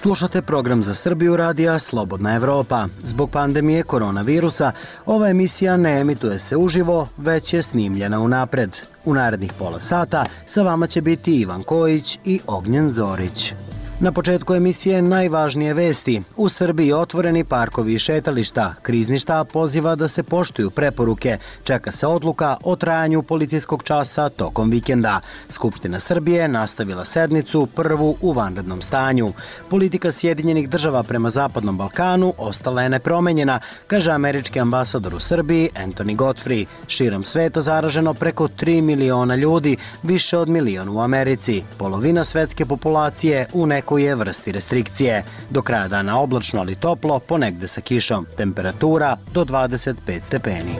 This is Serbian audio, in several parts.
Slušate program za Srbiju radija Slobodna Evropa. Zbog pandemije koronavirusa, ova emisija ne emituje se uživo, već je snimljena unapred. U narednih pola sata sa vama će biti Ivan Kojić i Ognjen Zorić. Na početku emisije najvažnije vesti. U Srbiji otvoreni parkovi i šetališta. Krizni štab poziva da se poštuju preporuke. Čeka se odluka o trajanju policijskog časa tokom vikenda. Skupština Srbije nastavila sednicu, prvu u vanrednom stanju. Politika Sjedinjenih država prema Zapadnom Balkanu ostala je nepromenjena, kaže američki ambasador u Srbiji Anthony Godfrey. Širom sveta zaraženo preko 3 miliona ljudi, više od milion u Americi. Polovina svetske populacije u nekoj je vrsti restrikcije. Do kraja dana oblačno, ali toplo, ponegde sa kišom. Temperatura do 25 stepeni.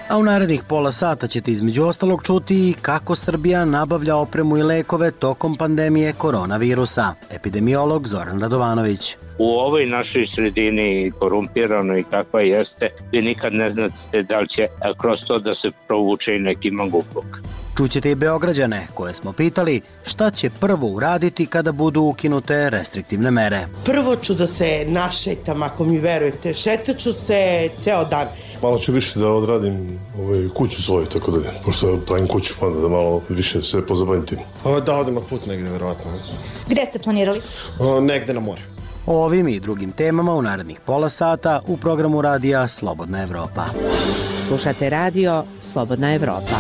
A u narednih pola sata ćete između ostalog čuti i kako Srbija nabavlja opremu i lekove tokom pandemije koronavirusa. Epidemiolog Zoran Radovanović. U ovoj našoj sredini korumpiranoj kakva jeste, vi nikad ne znate da li će kroz to da se provuče i neki mangupluk. Čućete i Beograđane, koje smo pitali šta će prvo uraditi kada budu ukinute restriktivne mere. Prvo ću da se našetam, ako mi verujete. Šetaću se ceo dan. Malo ću više da odradim kuću svoju, tako da pošto pravim kuću, pa da malo više se pozabavim tim. Da odem na put negde, verovatno. Gde ste planirali? Negde na more. O ovim i drugim temama u narednih pola sata u programu radija Slobodna Evropa. Slušate radio Slobodna Evropa.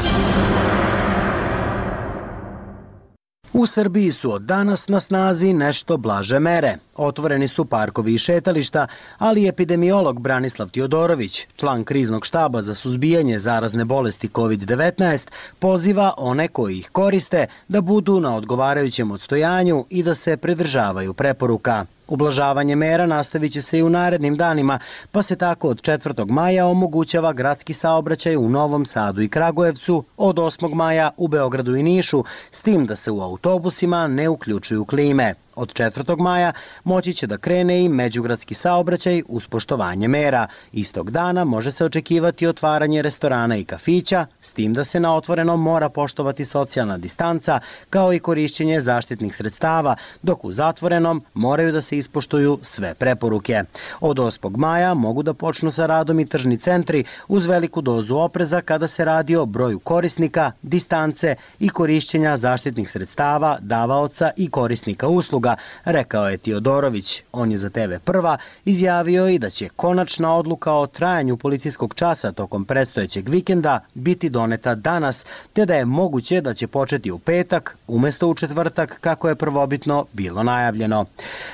U Srbiji su od danas na snazi nešto blaže mere. Otvoreni su parkovi i šetališta, ali epidemiolog Branislav Tiodorović, član kriznog štaba za suzbijanje zarazne bolesti COVID-19, poziva one koji ih koriste da budu na odgovarajućem odstojanju i da se pridržavaju preporuka. Ublažavanje mera nastavit će se i u narednim danima, pa se tako od 4. maja omogućava gradski saobraćaj u Novom Sadu i Kragujevcu, od 8. maja u Beogradu i Nišu, s tim da se u autobusima ne uključuju klime. Od 4. maja moći će da krene i međugradski saobraćaj uz poštovanje mera. Istog dana može se očekivati otvaranje restorana i kafića, s tim da se na otvorenom mora poštovati socijalna distanca, kao i korišćenje zaštitnih sredstava, dok u zatvorenom moraju da se ispoštuju sve preporuke. Od 8. maja mogu da počnu sa radom i tržni centri uz veliku dozu opreza kada se radi o broju korisnika, distance i korišćenja zaštitnih sredstava, davaoca i korisnika usluga, rekao je Tiodorović. On je za TV Prva izjavio i da će konačna odluka o trajanju policijskog časa tokom predstojećeg vikenda biti doneta danas, te da je moguće da će početi u petak umesto u četvrtak kako je prvobitno bilo najavljeno.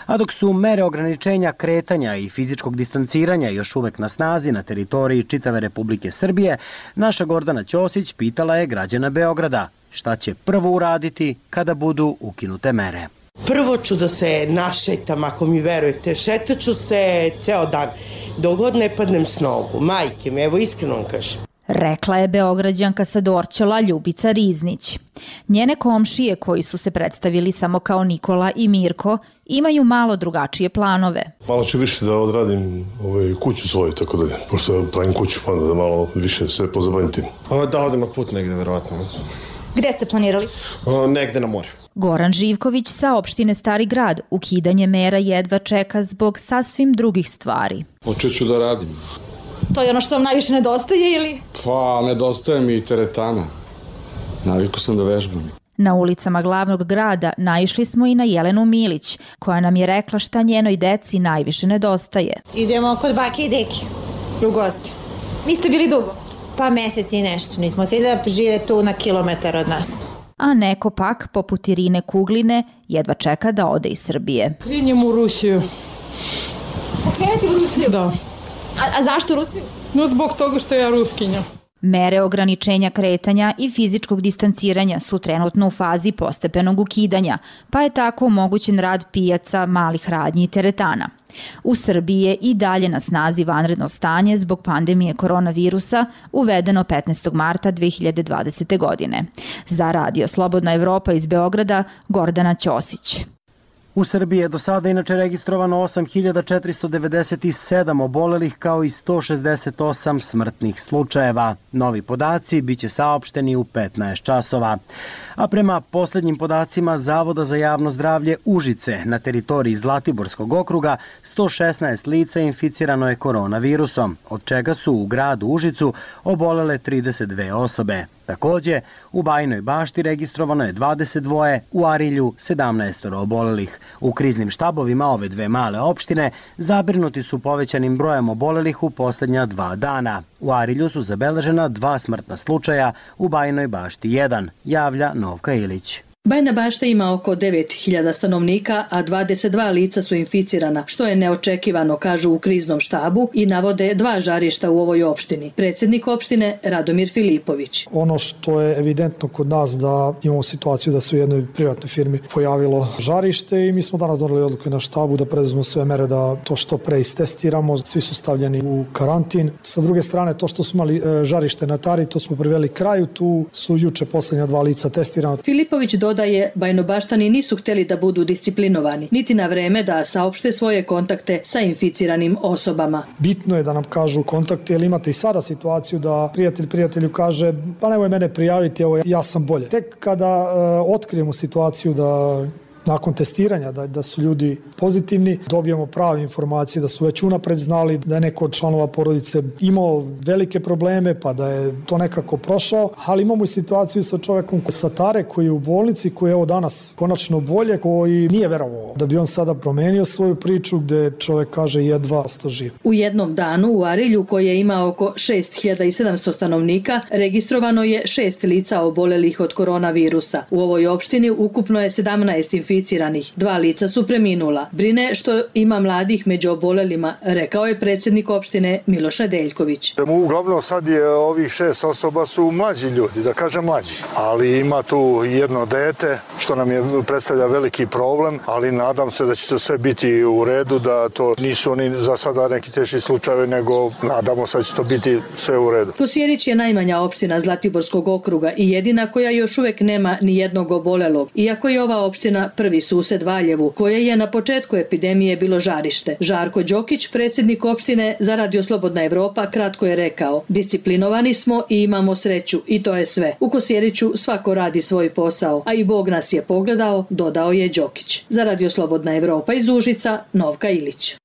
A dok su mere ograničenja kretanja i fizičkog distanciranja još uvek na snazi na teritoriji čitave Republike Srbije, naša Gordana Ćosić pitala je građana Beograda šta će prvo uraditi kada budu ukinute mere. Prvo ću da se našetam, ako mi verujete. Šetaću se ceo dan, dok god ne padnem s nogu. Majke mi, evo iskreno vam kažem. Rekla je Beograđanka sa Dorćola Ljubica Riznić. Njene komšije, koji su se predstavili samo kao Nikola i Mirko, imaju malo drugačije planove. Malo ću više da odradim kuću svoju, tako da pošto pravim kuću, pa da malo više se pozabavim tim. Da odem na put negde, verovatno. Gde ste planirali? Negde na more. Goran Živković sa opštine Stari Grad ukidanje mera jedva čeka zbog sasvim drugih stvari. Počet ću da radim. To je ono što vam najviše nedostaje ili? Pa, nedostaje mi i teretana. Naviku sam da vežbam. Na ulicama glavnog grada naišli smo i na Jelenu Milić, koja nam je rekla šta njenoj deci najviše nedostaje. Idemo kod bake i deke u gosti. Niste bili dugo? Pa mesec i nešto. Nismo svi da žive tu na kilometar od nas. A neko pak, poput Irine Kugline, jedva čeka da ode iz Srbije. Krenjem u Rusiju. Krenete u Rusiju? Da. A zašto Rusiju? No zbog toga što ja ruskinja. Mere ograničenja kretanja i fizičkog distanciranja su trenutno u fazi postepenog ukidanja, pa je tako omogućen rad pijaca, malih radnji i teretana. U Srbiji je i dalje na snazi vanredno stanje zbog pandemije koronavirusa, uvedeno 15. marta 2020. godine. Za radio Slobodna Evropa iz Beograda, Gordana Ćosić. U Srbiji je do sada inače registrovano 8.497 obolelih kao i 168 smrtnih slučajeva. Novi podaci biće saopšteni u 15 časova. A prema poslednjim podacima Zavoda za javno zdravlje Užice na teritoriji Zlatiborskog okruga 116 lica inficirano je koronavirusom, od čega su u gradu Užicu obolele 32 osobe. Takođe, u Bajinoj Bašti registrovano je 22, u Arilju 17 obolelih. U kriznim štabovima ove dve male opštine zabrinuti su povećanim brojem obolelih u poslednja 2 dana. U Arilju su zabeležena 2 smrtna slučaja, u Bajinoj Bašti 1, javlja Novka Ilić. Bajina Bašta ima oko 9.000 stanovnika, a 22 lica su inficirana, što je neočekivano, kažu u kriznom štabu i navode 2 žarišta u ovoj opštini. Predsjednik opštine Radomir Filipović. Ono što je evidentno kod nas da imamo situaciju da se u jednoj privatnoj firmi pojavilo žarište i mi smo danas doneli odluke na štabu da preduzmemo sve mere da to što pre istestiramo. Svi su stavljeni u karantin. Sa druge strane, to što smo imali žarište na Tari, to smo priveli kraju. Tu su juče poslednja 2 lica testirana. Filipović dodaje Bajnobaštani nisu hteli da budu disciplinovani, niti na vreme da saopšte svoje kontakte sa inficiranim osobama. Bitno je da nam kažu kontakte, jer imate i sada situaciju da prijatelj prijatelju kaže pa nemoj mene prijaviti, evo ja sam bolje. Tek kada otkrijemo situaciju da nakon testiranja da su ljudi pozitivni, dobijemo prave informacije da su već unapred znali da je neko od članova porodice imao velike probleme pa da je to nekako prošao, ali imamo i situaciju sa čovekom sa Tare koji je u bolnici, koji je evo danas konačno bolje, koji nije verovao da bi on sada promenio svoju priču gde čovek kaže jedva ostao živ. U jednom danu u Arilju, koji ima oko 6.700 stanovnika, registrovano je 6 lica obolelih od koronavirusa. U ovoj opštini ukupno je 17 inficiranih. 2 lica su preminula. Brine što ima mladih među obolelima, rekao je predsjednik opštine Miloš Nedeljković. Uglavnom sad je ovih 6 osoba su mlađi ljudi, da kažem mlađi, ali ima tu jedno dete što nam je predstavlja veliki problem, ali nadam se da će to sve biti u redu, da to nisu oni za sada neki teži slučajevi, nego nadamo se da će to biti sve u redu. Kosjerić je najmanja opština Zlatiborskog okruga i jedina koja još uvek nema ni jednog obolelog, iako je ova opština prvi sused Valjevu, koje je na početku epidemije bilo žarište. Žarko Đokić, predsjednik opštine za Radio Slobodna Evropa, kratko je rekao: disciplinovani smo i imamo sreću i to je sve. U Kosjeriću svako radi svoj posao, a i Bog nas je pogledao, dodao je Đokić. Za Radio Slobodna Evropa iz Užica, Novka Ilić.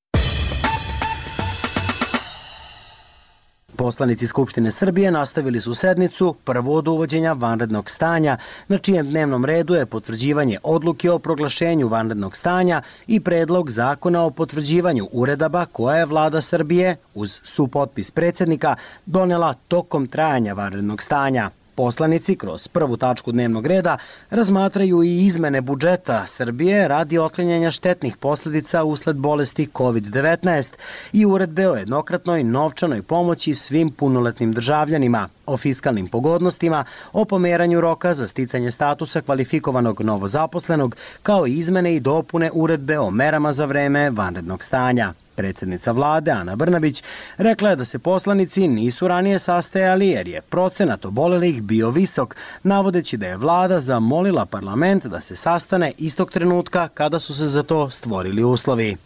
Poslanici Skupštine Srbije nastavili su sednicu prvo od uvođenja vanrednog stanja, na čijem dnevnom redu je potvrđivanje odluke o proglašenju vanrednog stanja i predlog zakona o potvrđivanju uredaba koja je vlada Srbije, uz supotpis predsjednika, donela tokom trajanja vanrednog stanja. Poslanici kroz prvu tačku dnevnog reda razmatraju i izmene budžeta Srbije radi otklanjanja štetnih posledica usled bolesti COVID-19 i uredbe o jednokratnoj novčanoj pomoći svim punoletnim državljanima, o fiskalnim pogodnostima, o pomeranju roka za sticanje statusa kvalifikovanog novozaposlenog, kao i izmene i dopune uredbe o merama za vreme vanrednog stanja. Predsjednica vlade Ana Brnabić rekla je da se poslanici nisu ranije sastajali jer je procenat obolelih bio visok, navodeći da je vlada zamolila parlament da se sastane istog trenutka kada su se za to stvorili uslovi.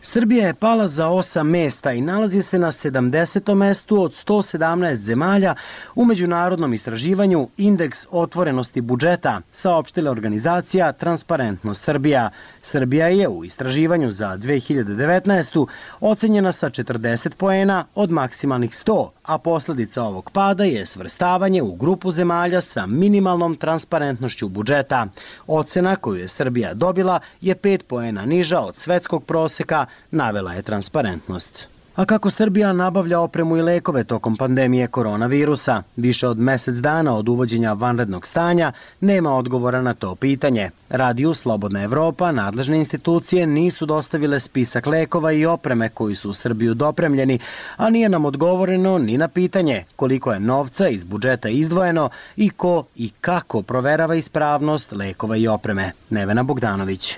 Srbija je pala za 8 mesta i nalazi se na 70. mestu od 117 zemalja u međunarodnom istraživanju Indeks otvorenosti budžeta, saopštila organizacija Transparentnost Srbija. Srbija je u istraživanju za 2019. ocenjena sa 40 poena od maksimalnih 100, a posljedica ovog pada je svrstavanje u grupu zemalja sa minimalnom transparentnošću budžeta. Ocena koju je Srbija dobila je 5 poena niža od svetskog proseka, navela je Transparentnost. A kako Srbija nabavlja opremu i lekove tokom pandemije koronavirusa? Više od mesec dana od uvođenja vanrednog stanja nema odgovora na to pitanje. Radio Slobodna Evropa, nadležne institucije nisu dostavile spisak lekova i opreme koji su u Srbiju dopremljeni, a nije nam odgovoreno ni na pitanje koliko je novca iz budžeta izdvojeno i ko i kako proverava ispravnost lekova i opreme. Nevena Bogdanović.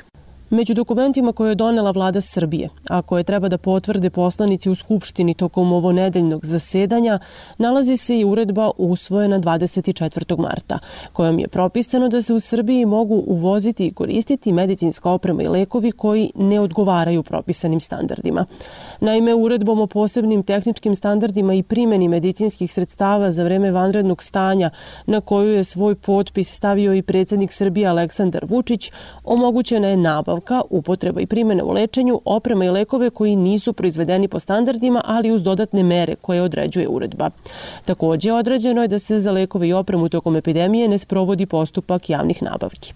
Među dokumentima koje je donela vlada Srbije, a koje treba da potvrde poslanici u Skupštini tokom ovonedeljnog zasedanja, nalazi se i uredba usvojena 24. marta, kojom je propisano da se u Srbiji mogu uvoziti i koristiti medicinska oprema i lekovi koji ne odgovaraju propisanim standardima. Naime, uredbom o posebnim tehničkim standardima i primjeni medicinskih sredstava za vreme vanrednog stanja, na koju je svoj potpis stavio i predsjednik Srbije Aleksandar Vučić, omogućena je nabavka, upotreba i primjena u lečenju oprema i lekove koji nisu proizvedeni po standardima, ali uz dodatne mere koje određuje uredba. Također, određeno je da se za lekove i opremu tokom epidemije ne sprovodi postupak javnih nabavki.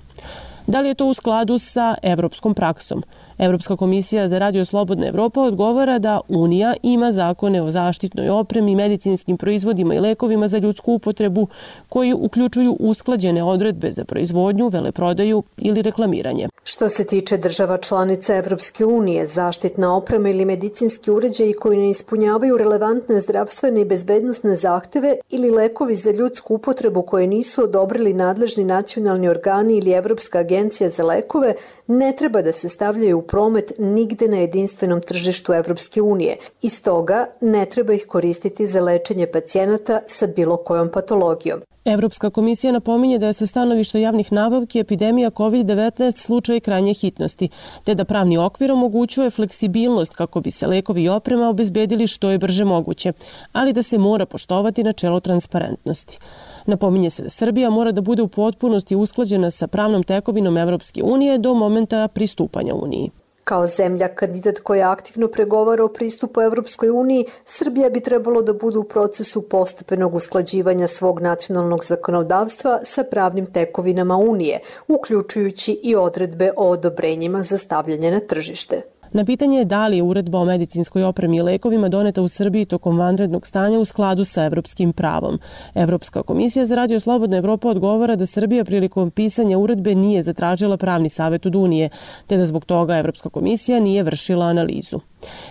Da li je to u skladu sa evropskom praksom? Evropska komisija za Radio Slobodna Evropa odgovara da Unija ima zakone o zaštitnoj opremi, medicinskim proizvodima i lekovima za ljudsku upotrebu koji uključuju usklađene odredbe za proizvodnju, veleprodaju ili reklamiranje. Što se tiče država članica Evropske unije, zaštitna oprema ili medicinski uređaji koji ne ispunjavaju relevantne zdravstvene i bezbednosne zahteve ili lekovi za ljudsku upotrebu koje nisu odobrili nadležni nacionalni organi ili Evropska agencija za lekove, ne treba da se stavljaju u promet nigde na jedinstvenom tržištu Evropske unije i stoga ne treba ih koristiti za lečenje pacijenata sa bilo kojom patologijom. Evropska komisija napominje da je sa stanovišta javnih nabavki epidemija COVID-19 slučaj krajnje hitnosti, te da pravni okvir omogućuje fleksibilnost kako bi se lekovi i oprema obezbedili što je brže moguće, ali da se mora poštovati načelo transparentnosti. Napominje se da Srbija mora da bude u potpunosti usklađena sa pravnom tekovinom Evropske unije do momenta pristupanja Uniji. Kao zemlja kandidat koja aktivno pregovara o pristupu Evropskoj uniji, Srbija bi trebalo da bude u procesu postepenog usklađivanja svog nacionalnog zakonodavstva sa pravnim tekovinama Unije, uključujući i odredbe o odobrenjima za stavljanje na tržište. Na pitanje je da li je uredba o medicinskoj opremi i lekovima doneta u Srbiji tokom vanrednog stanja u skladu sa evropskim pravom. Evropska komisija za Radio Slobodna Evropa odgovara da Srbija prilikom pisanja uredbe nije zatražila pravni savjet od Unije, te da zbog toga Evropska komisija nije vršila analizu.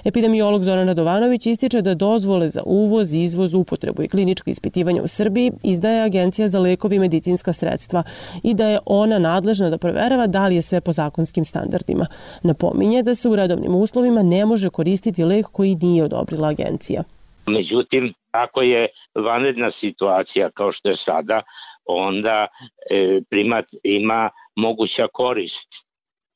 Epidemiolog Zoran Radovanović ističe da dozvole za uvoz, izvoz, upotrebu i klinička ispitivanja u Srbiji izdaje Agencija za lekovi i medicinska sredstva i da je ona nadležna da proverava da li je sve po zakonskim standardima. Napominje da se u redovnim uslovima ne može koristiti lek koji nije odobrila agencija. Međutim, ako je vanredna situacija kao što je sada, onda primat ima moguća korist,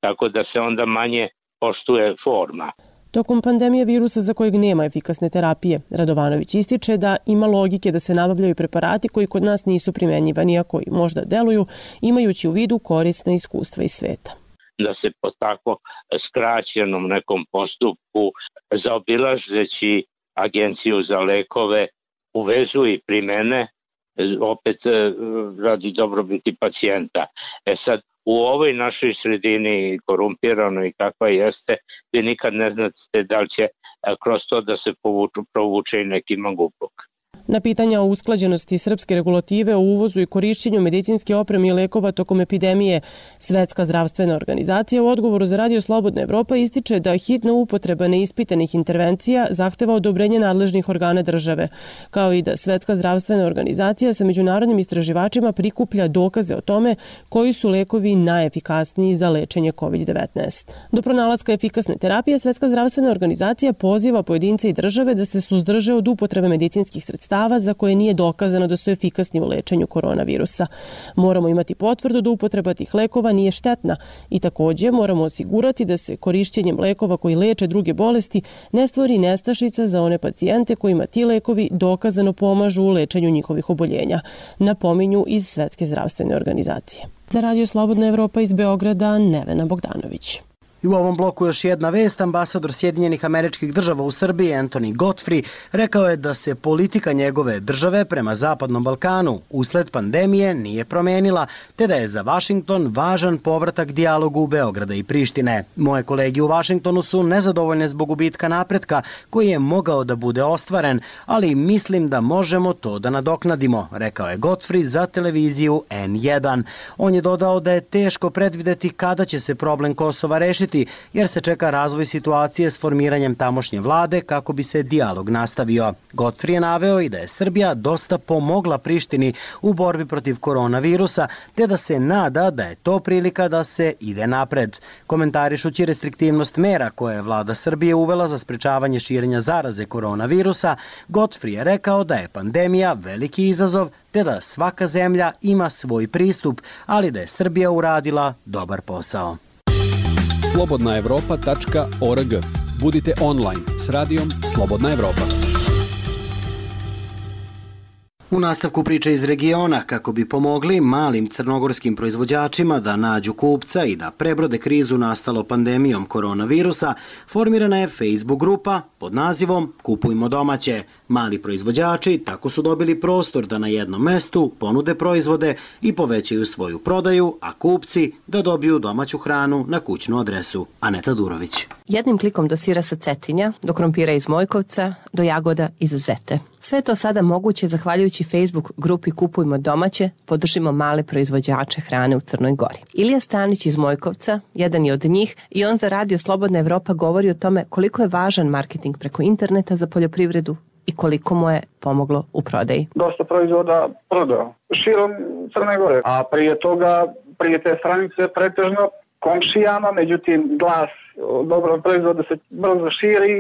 tako da se onda manje poštuje forma. Tokom pandemije virusa za kojeg nema efikasne terapije, Radovanović ističe da ima logike da se nabavljaju preparati koji kod nas nisu primenjivani, a koji možda deluju, imajući u vidu korisna iskustva iz sveta. Da se po tako skraćenom nekom postupku, zaobilazeći Agenciju za lekove, uvezu i primene, opet radi dobrobiti pacijenta. Sad, u ovoj našoj sredini korumpiranoj kakva jeste, vi nikad ne znate da li će kroz to da se provuče i neki mangupluk. Na pitanja o usklađenosti srpske regulative o uvozu i korišćenju medicinske opreme i lekova tokom epidemije, Svetska zdravstvena organizacija u odgovoru za Radio Slobodna Evropa ističe da hitna upotreba neispitanih intervencija zahteva odobrenje nadležnih organa države, kao i da Svetska zdravstvena organizacija sa međunarodnim istraživačima prikuplja dokaze o tome koji su lekovi najefikasniji za lečenje COVID-19. Do pronalaska efikasne terapije, Svetska zdravstvena organizacija poziva pojedince i države da se suzdrže od upotrebe medicinskih sredstava za koje nije dokazano da su efikasni u lečenju koronavirusa. Moramo imati potvrdu da upotreba tih lekova nije štetna i također moramo osigurati da se korišćenjem lekova koji leče druge bolesti ne stvori nestašica za one pacijente kojima ti lekovi dokazano pomažu u lečenju njihovih oboljenja, napominju iz Svetske zdravstvene organizacije. Za Radio Slobodna Evropa iz Beograda, Nevena Bogdanović. I u ovom bloku još jedna vest. Ambasador Sjedinjenih Američkih Država u Srbiji, Anthony Godfrey, rekao je da se politika njegove države prema Zapadnom Balkanu usled pandemije nije promenila, te da je za Vašington važan povratak dijalogu Beograda i Prištine. Moje kolege u Vašingtonu su nezadovoljne zbog gubitka napretka koji je mogao da bude ostvaren, ali mislim da možemo to da nadoknadimo, rekao je Godfrey za televiziju N1. On je dodao da je teško predvideti kada će se problem Kosova rešiti, zaključiti jer se čeka razvoj situacije s formiranjem tamošnje vlade kako bi se dijalog nastavio. Godfrey je naveo i da je Srbija dosta pomogla Prištini u borbi protiv koronavirusa, te da se nada da je to prilika da se ide napred. Komentarišući restriktivnost mera koje je vlada Srbije uvela za sprečavanje širenja zaraze koronavirusa, Godfrey je rekao da je pandemija veliki izazov, te da svaka zemlja ima svoj pristup, ali da je Srbija uradila dobar posao. Slobodnaevropa.org. Budite online s radijom Slobodna Evropa. U nastavku priče iz regiona, kako bi pomogli malim crnogorskim proizvođačima da nađu kupca i da prebrode krizu nastalo pandemijom koronavirusa, formirana je Facebook grupa pod nazivom Kupujmo domaće. Mali proizvođači tako su dobili prostor da na jednom mestu ponude proizvode i povećaju svoju prodaju, a kupci da dobiju domaću hranu na kućnu adresu. Aneta Durović. Jednim klikom do sira sa Cetinja, do krompira iz Mojkovca, do jagoda iz Zete. Sve to sada moguće zahvaljujući Facebook grupi Kupujmo domaće, podržimo male proizvođače hrane u Crnoj Gori. Ilija Stanić iz Mojkovca, jedan je od njih, i on za Radio Slobodna Evropa govori o tome koliko je važan marketing preko interneta za poljoprivredu i koliko mu je pomoglo u prodaji. Dosta proizvoda prodao širom Crne Gore, a prije toga, prije te stranice pretežno komšijama, međutim glas dobrog proizvoda se brzo širi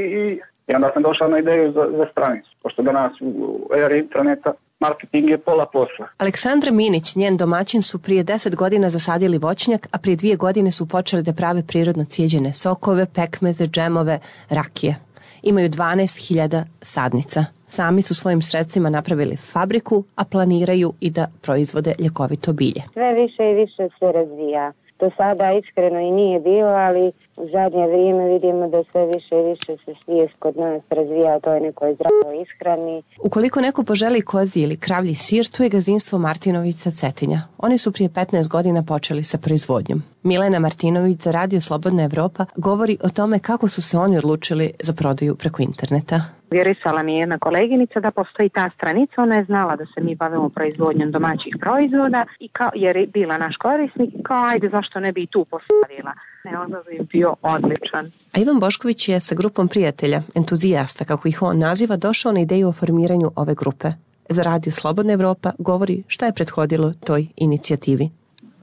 i onda sam došao na ideju za stranicu, pošto danas u eri interneta marketing je pola posla. Aleksandra Minić, njen domaćin, su prije 10 godina zasadili voćnjak, a prije 2 godine su počeli da prave prirodno cijeđene sokove, pekmeze, džemove, rakije. Imaju 12.000 sadnica. Sami su svojim sredstvima napravili fabriku, a planiraju i da proizvode ljekovito bilje. Sve više i više se razvija. Do sada iskreno i nije bilo, ali u zadnje vrijeme vidimo da sve više i više se svijest kod nas razvija o toj nekoj zdravoj ishrani. Ukoliko neko poželi kozji ili kravlji sir, tu je gazdinstvo Martinović sa Cetinja. Oni su prije 15 godina počeli sa proizvodnjom. Milena Martinović za Radio Slobodna Evropa govori o tome kako su se oni odlučili za prodaju preko interneta. Vjerisala mi je jedna koleginica da postoji ta stranica, ona je znala da se mi bavimo proizvodnjom domaćih proizvoda i jer je bila naš korisnik, kao ajde zašto ne bi i tu postavila. Odaziv je bio odličan. A Ivan Bošković je sa grupom prijatelja, entuzijasta, kako ih on naziva, došao na ideju o formiranju ove grupe. Za Radio Slobodna Evropa govori šta je prethodilo toj inicijativi.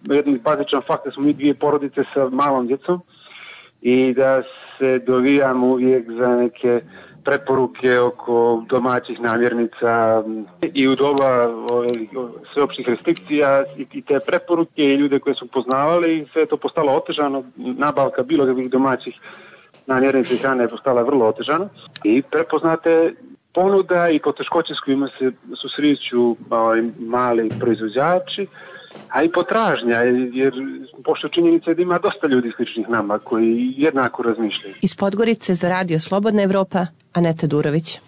Jedan bazičan fakt da smo mi 2 porodice sa malom djecom i da se dovijamo uvijek za neke preporuke oko domaćih namirnica i u doba sveopštih restrikcija i te preporuke i ljude koje su poznavali, sve je to postalo otežano, nabavka bilo kakvih domaćih namirnica i hrane je postala vrlo otežana i prepoznate ponuda i poteškoće s kojima se susreću mali proizvođači, a i potražnja, jer pošto činjenica je da ima dosta ljudi sličnih nama koji jednako razmišljaju. Iz Podgorice za Radio Slobodna Evropa, Aneta Durović.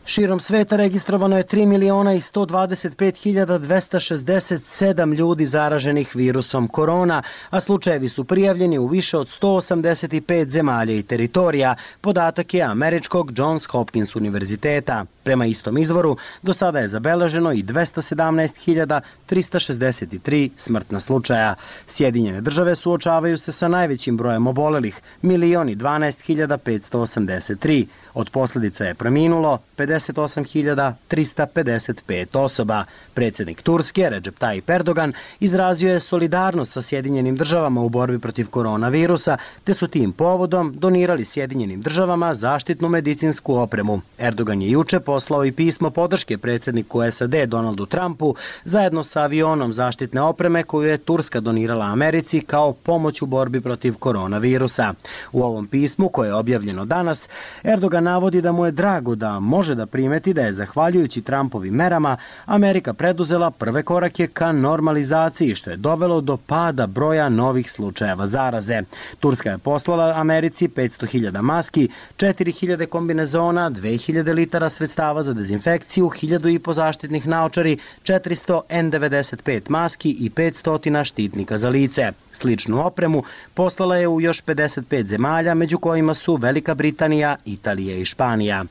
Širom sveta registrovano je 3.125.267 ljudi zaraženih virusom korona, a slučajevi su prijavljeni u više od 185 zemalja i teritorija, podatak je američkog Johns Hopkins univerziteta. Prema istom izvoru, do sada je zabeleženo i 217.363 smrtna slučaja. Sjedinjene države suočavaju se sa najvećim brojem obolelih, 1.012.583. Od posljedica je preminulo 58.355 osoba. Predsjednik Turske, Recep Tayyip Erdogan, izrazio je solidarnost sa Sjedinjenim državama u borbi protiv koronavirusa, te su tim povodom donirali Sjedinjenim državama zaštitnu medicinsku opremu. Erdogan je juče poslao i pismo podrške predsjedniku SAD Donaldu Trumpu zajedno sa avionom zaštitne opreme koju je Turska donirala Americi kao pomoć u borbi protiv koronavirusa. U ovom pismu, koje je objavljeno danas, Erdogan navodi da mu je drago da može da primeti da je zahvaljujući Trumpovim merama Amerika preduzela prve korake ka normalizaciji, što je dovelo do pada broja novih slučajeva zaraze. Turska je poslala Americi 500.000 maski, 4.000 kombinezona, 2.000 litara sredstava za dezinfekciju, 1.500 zaštitnih naočari, 400 N95 maski i 500 štitnika za lice. Sličnu opremu poslala je u još 55 zemalja, među kojima su Velika Britanija, Italija i Španija.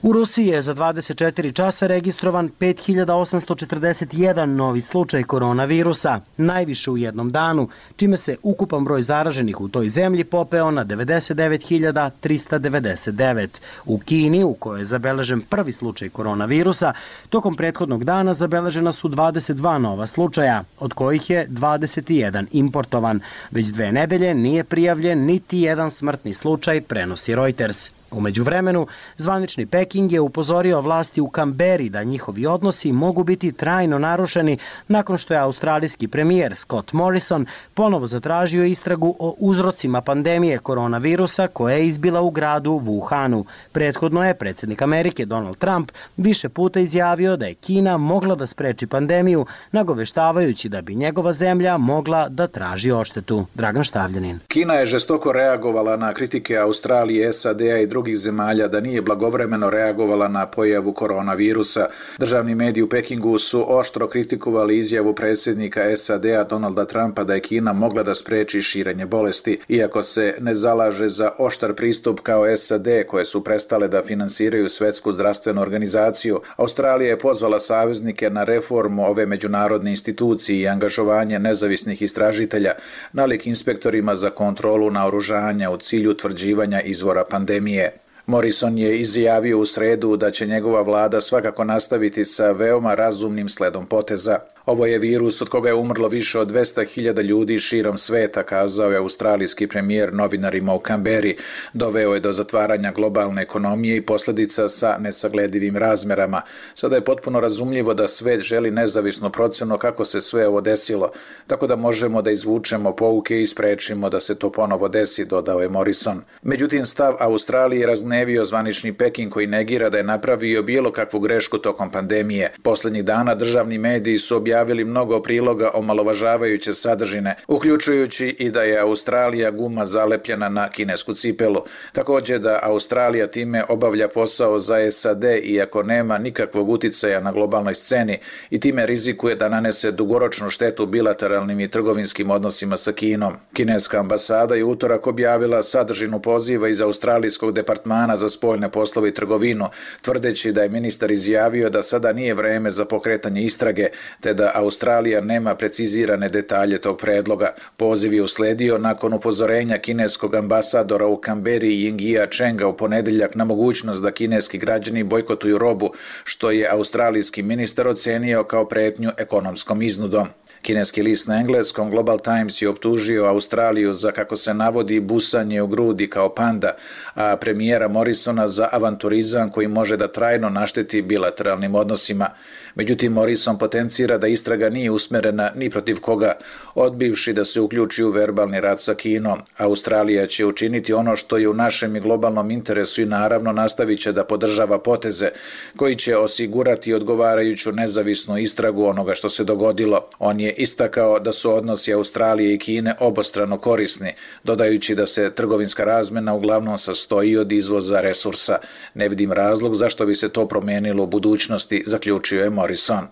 U Rusiji je za 24 časa registrovan 5841 novi slučaj koronavirusa, najviše u jednom danu, čime se ukupan broj zaraženih u toj zemlji popeo na 99.399. U Kini, u kojoj je zabeležen prvi slučaj koronavirusa, tokom prethodnog dana zabeležena su 22 nova slučaja, od kojih je 21 importovan. Već 2 nedelje nije prijavljen niti jedan smrtni slučaj, prenosi Reuters. U međuvremenu, zvanični Peking je upozorio vlasti u Kamberi da njihovi odnosi mogu biti trajno narušeni nakon što je australijski premijer Scott Morrison ponovo zatražio istragu o uzrocima pandemije koronavirusa koja je izbila u gradu Wuhanu. Prethodno je predsjednik Amerike Donald Trump više puta izjavio da je Kina mogla da spreči pandemiju, nagoveštavajući da bi njegova zemlja mogla da traži odštetu. Dragan Štavljanin. Kina je žestoko reagovala na kritike Australije, SAD-a i drugih zemalja da nije blagovremeno reagovala na pojavu koronavirusa. Državni mediji u Pekingu su oštro kritikovali izjavu predsjednika SAD-a Donalda Trumpa da je Kina mogla da spreči širenje bolesti, iako se ne zalaže za oštar pristup kao SAD koje su prestale da finansiraju Svetsku zdravstvenu organizaciju. Australija je pozvala saveznike na reformu ove međunarodne institucije i angažovanje nezavisnih istražitelja, nalik inspektorima za kontrolu naoružanja u cilju utvrđivanja izvora pandemije. Morrison je izjavio u sredu da će njegova vlada svakako nastaviti sa veoma razumnim sledom poteza. Ovo je virus od koga je umrlo više od 200.000 ljudi širom sveta, kazao je australijski premijer novinarima u Kamberi. Doveo je do zatvaranja globalne ekonomije i posljedica sa nesagledivim razmerama. Sada je potpuno razumljivo da svet želi nezavisnu procenu kako se sve ovo desilo, tako da možemo da izvučemo pouke i sprečimo da se to ponovo desi, dodao je Morrison. Međutim, stav Australije raznevio zvanični Peking koji negira da je napravio bilo kakvu grešku tokom pandemije. Poslednjih dana državni mediji su objavili mnogo priloga omalovažavajuće sadržine, uključujući i da je Australija guma zalepljena na kinesku cipelu. Također da Australija time obavlja posao za SAD iako nema nikakvog uticaja na globalnoj sceni i time rizikuje da nanese dugoročnu štetu bilateralnim i trgovinskim odnosima sa Kinom. Kineska ambasada je utorak objavila sadržinu poziva iz Australijskog departmana za spoljne poslove i trgovinu, tvrdeći da je ministar izjavio da sada nije vreme za pokretanje istrage, te da Australija nema precizirane detalje tog predloga. Poziv je usledio nakon upozorenja kineskog ambasadora u Kamberi Yinghia Chenga u ponedeljak na mogućnost da kineski građani bojkotuju robu, što je australijski ministar ocenio kao pretnju ekonomskom iznudom. Kineski list na engleskom Global Times je optužio Australiju za, kako se navodi, busanje u grudi kao panda, a premijera Morrisona za avanturizam koji može da trajno našteti bilateralnim odnosima. Međutim, Morrison potencira da istraga nije usmerena ni protiv koga, odbivši da se uključi u verbalni rat sa Kinom. Australija će učiniti ono što je u našem i globalnom interesu i naravno nastavit će da podržava poteze koji će osigurati odgovarajuću nezavisnu istragu onoga što se dogodilo. On je istakao da su odnosi Australije i Kine obostrano korisni, dodajući da se trgovinska razmena uglavnom sastoji od izvoza resursa. Ne vidim razlog zašto bi se to promenilo u budućnosti, zaključio je Morrison.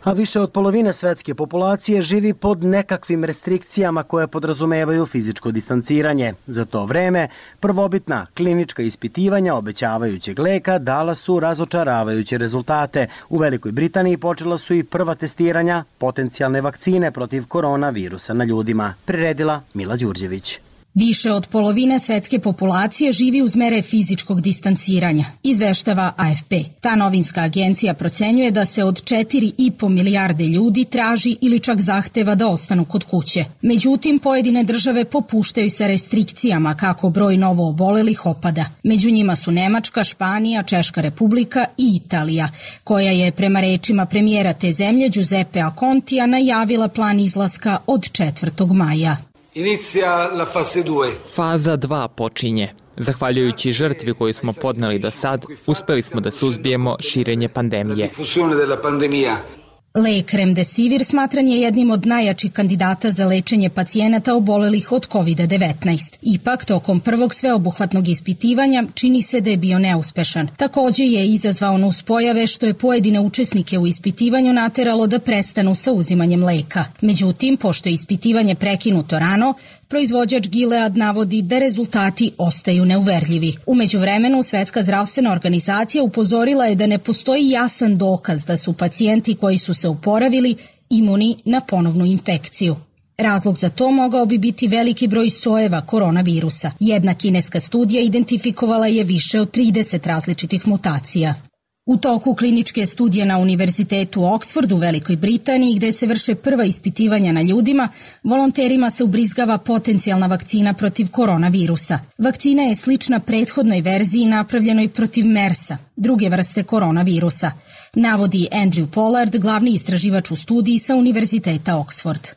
A više od polovine svetske populacije živi pod nekakvim restrikcijama koje podrazumevaju fizičko distanciranje. Za to vreme, prvobitna klinička ispitivanja obećavajućeg leka dala su razočaravajuće rezultate. U Velikoj Britaniji počela su i prva testiranja potencijalne vakcine protiv koronavirusa na ljudima, priredila Mila Đurđević. Više od polovine svetske populacije živi uz mere fizičkog distanciranja, izveštava AFP. Ta novinska agencija procenjuje da se od 4,5 milijarde ljudi traži ili čak zahteva da ostanu kod kuće. Međutim, pojedine države popuštaju sa restrikcijama kako broj novo obolelih opada. Među njima su Nemačka, Španija, Češka republika i Italija, koja je prema rečima premijera te zemlje Giuseppea Contija najavila plan izlaska od 4. maja. Faza 2 počinje. Zahvaljujući žrtvi koju smo podneli do sad, uspeli smo da suzbijemo širenje pandemije. Lek Remdesivir smatran je jednim od najjačih kandidata za lečenje pacijenata obolelih od COVID-19. Ipak, tokom prvog sveobuhvatnog ispitivanja čini se da je bio neuspešan. Također je izazvao nuspojave što je pojedine učesnike u ispitivanju nateralo da prestanu sa uzimanjem leka. Međutim, pošto je ispitivanje prekinuto rano, proizvođač Gilead navodi da rezultati ostaju neuverljivi. U međuvremenu, Svetska zdravstvena organizacija upozorila je da ne postoji jasan dokaz da su pacijenti koji su se oporavili imuni na ponovnu infekciju. Razlog za to mogao bi biti veliki broj sojeva koronavirusa. Jedna kineska studija identifikovala je više od 30 različitih mutacija. U toku kliničke studije na Univerzitetu Oxford u Velikoj Britaniji, gde se vrše prva ispitivanja na ljudima, volonterima se ubrizgava potencijalna vakcina protiv koronavirusa. Vakcina je slična prethodnoj verziji napravljenoj protiv MERS-a, druge vrste koronavirusa, navodi Andrew Pollard, glavni istraživač u studiji sa Univerziteta Oxford.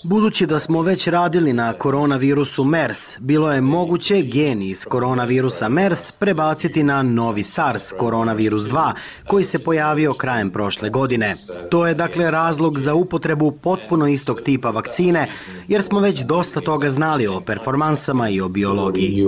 Budući da smo već radili na koronavirusu MERS, bilo je moguće gen iz koronavirusa MERS prebaciti na novi SARS koronavirus 2, koji se pojavio krajem prošle godine. To je dakle razlog za upotrebu potpuno istog tipa vakcine, jer smo već dosta toga znali o performansama i o biologiji.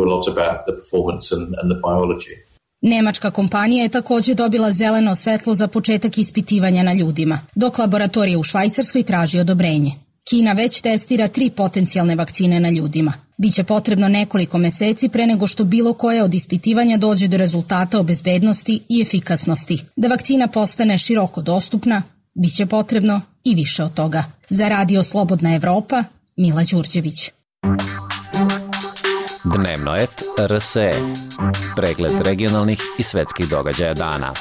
Nemačka kompanija je takođe dobila zeleno svetlo za početak ispitivanja na ljudima, dok laboratorija u Švajcarskoj traži odobrenje. Kina već testira 3 potencijalne vakcine na ljudima. Biće potrebno nekoliko meseci pre nego što bilo koje od ispitivanja dođe do rezultata o bezbednosti i efikasnosti. Da vakcina postane široko dostupna, biće potrebno i više od toga. Za Radio Slobodna Evropa, Mila Đurđević. Dnevnoet RSE. Pregled regionalnih i svetskih događaja dana.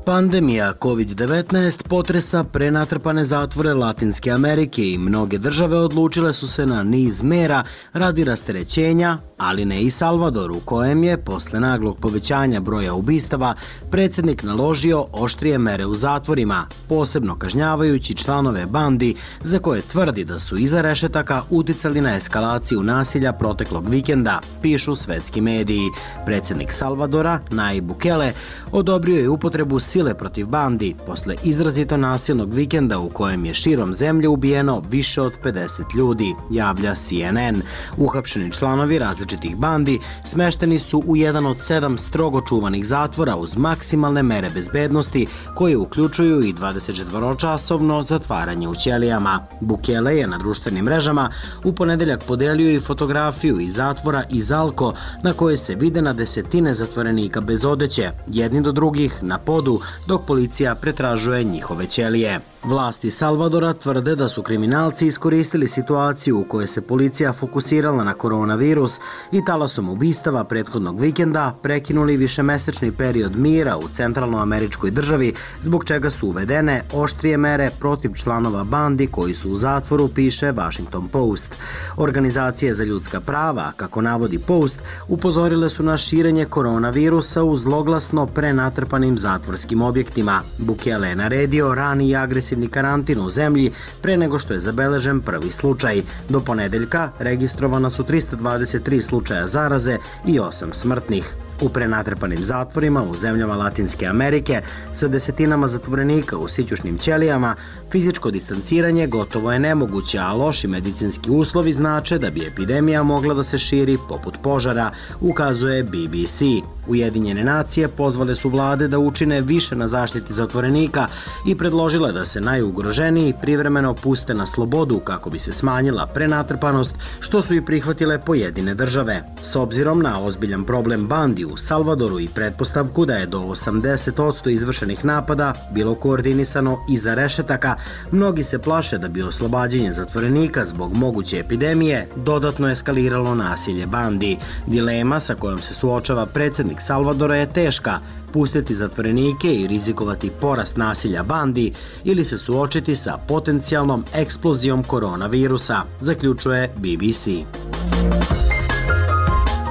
Pandemija COVID-19 potresa prenatrpane zatvore Latinske Amerike i mnoge države odlučile su se na niz mera radi rasterećenja, ali ne i Salvador, u kojem je, posle naglog povećanja broja ubistava, predsjednik naložio oštrije mere u zatvorima, posebno kažnjavajući članove bandi za koje tvrdi da su iza rešetaka uticali na eskalaciju nasilja proteklog vikenda, pišu svetski mediji. Predsjednik Salvadora, Nayib Bukele, odobrio je upotrebu sile protiv bandi posle izrazito nasilnog vikenda u kojem je širom zemlje ubijeno više od 50 ljudi, javlja CNN. Uhapšeni članovi različitih bandi smešteni su u jedan od 7 strogo čuvanih zatvora uz maksimalne mere bezbednosti koje uključuju i 24-časovno zatvaranje u ćelijama. Bukele je na društvenim mrežama u ponedeljak podelio i fotografiju iz zatvora iz Alko na koje se vide na desetine zatvorenika bez odeće, jedni do drugih na podu, dok policija pretražuje njihove ćelije. Vlasti Salvadora tvrde da su kriminalci iskoristili situaciju u kojoj se policija fokusirala na koronavirus i talasom ubistava prethodnog vikenda prekinuli višemesečni period mira u centralnoameričkoj državi, zbog čega su uvedene oštrije mere protiv članova bandi koji su u zatvoru, piše Washington Post. Organizacije za ljudska prava, kako navodi Post, upozorile su na širenje koronavirusa u zloglasno prenatrpanim zatvorskim objektima. Bukele je naredio rani i agresivni karantin u zemlji pre nego što je zabeležen prvi slučaj. Do ponedeljka registrovana su 323 slučaja zaraze i 8 smrtnih. U prenatrpanim zatvorima u zemljama Latinske Amerike sa desetinama zatvorenika u sićušnim ćelijama fizičko distanciranje gotovo je nemoguće, a loši medicinski uslovi znače da bi epidemija mogla da se širi poput požara, ukazuje BBC. Ujedinjene nacije pozvale su vlade da učine više na zaštiti zatvorenika i predložile da se najugroženiji privremeno puste na slobodu kako bi se smanjila prenatrpanost, što su i prihvatile pojedine države. S obzirom na ozbiljan problem bandi u Salvadoru i pretpostavku da je do 80% izvršenih napada bilo koordinisano iza rešetaka, mnogi se plaše da bi oslobađanje zatvorenika zbog moguće epidemije dodatno eskaliralo nasilje bandi. Dilema sa kojom se suočava predsjednik Salvadora je teška: pustiti zatvorenike i rizikovati porast nasilja bandi ili se suočiti sa potencijalnom eksplozijom koronavirusa, zaključuje BBC.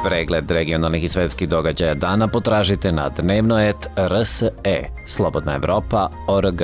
Pregled regionalnih i svetskih događaja dana potražite na dnevnoet RSE, Slobodna Evropa.org.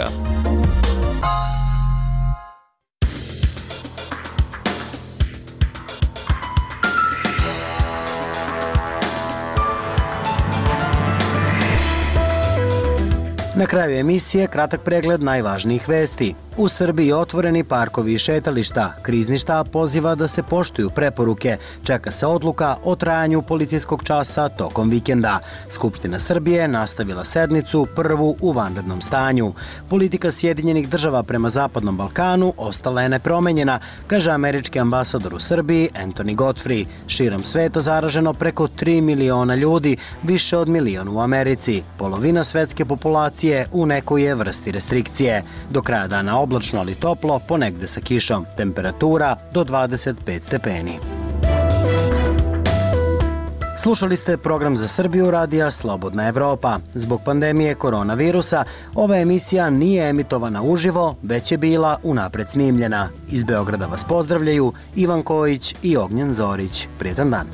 Na kraju emisije kratak pregled najvažnijih vesti. U Srbiji otvoreni parkovi i šetališta. Krizni štab poziva da se poštuju preporuke. Čeka se odluka o trajanju policijskog časa tokom vikenda. Skupština Srbije nastavila sednicu prvu u vanrednom stanju. Politika Sjedinjenih država prema Zapadnom Balkanu ostala je nepromenjena, kaže američki ambasador u Srbiji Anthony Godfrey. Širom sveta zaraženo preko 3 miliona ljudi, više od miliona u Americi. Polovina svetske populacije u nekoj je vrsti restrikcije. Do kraja dana oblačno ali toplo, ponegde sa kišom. Temperatura do 25 stepeni. Slušali ste program za Srbiju radija Slobodna Evropa. Zbog pandemije koronavirusa, ova emisija nije emitovana uživo, već je bila unapred snimljena. Iz Beograda vas pozdravljaju Ivan Kojić i Ognjen Zorić. Prijetan dan.